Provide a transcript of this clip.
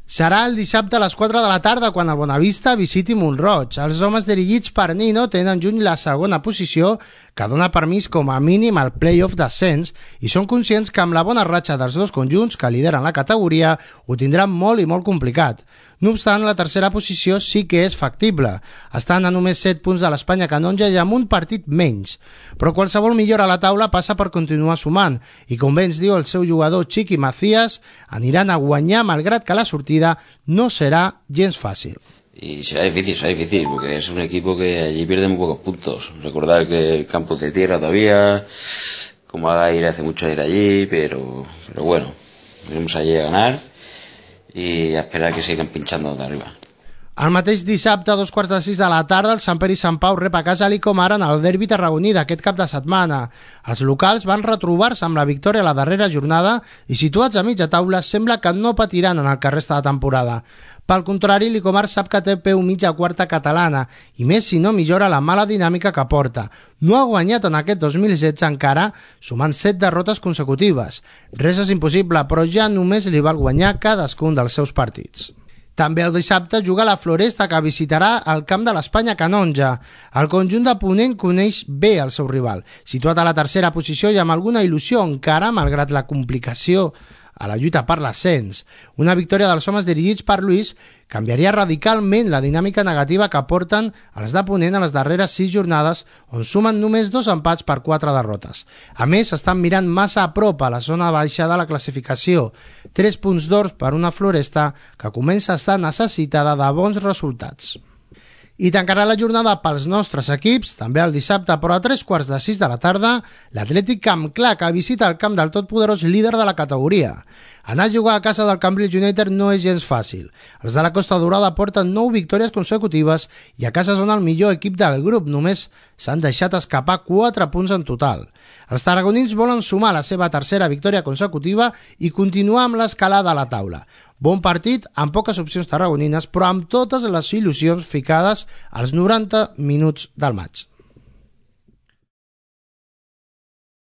Serà el dissabte a les 4 de la tarda quan el Bonavista visiti Mont-roig. Els homes dirigits per Nino tenen juny la segona posició que dona permís com a mínim al play-off d'ascens i són conscients que amb la bona ratxa dels dos conjunts que lideren la categoria ho tindran molt i molt complicat. No obstant, la tercera posició sí que és factible. Estan a només 7 punts de l'Espanya Canonja i amb un partit menys. Però qualsevol millora a la taula passa per continuar sumant i, com bé ens diu el seu jugador Chiqui Macías, aniran a guanyar malgrat que la sortida no será gens fácil. Y será difícil, porque es un equipo que allí pierde muy pocos puntos. Recordar que el campo es de tierra todavía, como haga ir hace mucho ir allí, pero bueno, iremos allí a ganar y a esperar que sigan pinchando de arriba. El mateix dissabte, a 5:45 de la tarda, el Sant Pere i Sant Pau rep a casa l'Icomar en el derbi tarragoní d'aquest cap de setmana. Els locals van retrobar-se amb la victòria a la darrera jornada i, situats a mitja taula, sembla que no patiran en el que resta de temporada. Pel contrari, l'Icomar sap que té peu mitja quarta catalana, i més si no millora la mala dinàmica que porta. No ha guanyat en aquest 2016 encara, sumant 7 derrotes consecutives. Res és impossible, però ja només li val guanyar cadascun dels seus partits. També el dissabte juga la Floresta, que visitarà el camp de l'Espanya Canonja. El conjunt de Ponent coneix bé el seu rival, situat a la tercera posició i amb alguna il·lusió encara, malgrat la complicació a la lluita per l'ascens. Una victòria dels homes dirigits per Luis canviaria radicalment la dinàmica negativa que porten els de Ponent a les darreres 6 jornades, on sumen només 2 empats per 4 derrotes. A més, estan mirant massa a prop a la zona baixa de la classificació. 3 punts d'or per una Floresta que comença a estar necessitada de bons resultats. I tancarà la jornada pels nostres equips, també el dissabte, però a 5:45 de la tarda, l'Atlètic Camp Clar, que visita el camp del totpoderós líder de la categoria. Anar a jugar a casa del Cambridge United no és gens fàcil. Els de la Costa Dorada porten 9 victòries consecutives i a casa són el millor equip del grup, només s'han deixat escapar 4 punts en total. Els tarragonins volen sumar la seva tercera victòria consecutiva i continuar amb l'escalada a la taula. Bon partit, amb poques opcions tarragonines, però amb totes les il·lusions ficades als 90 minuts del maig.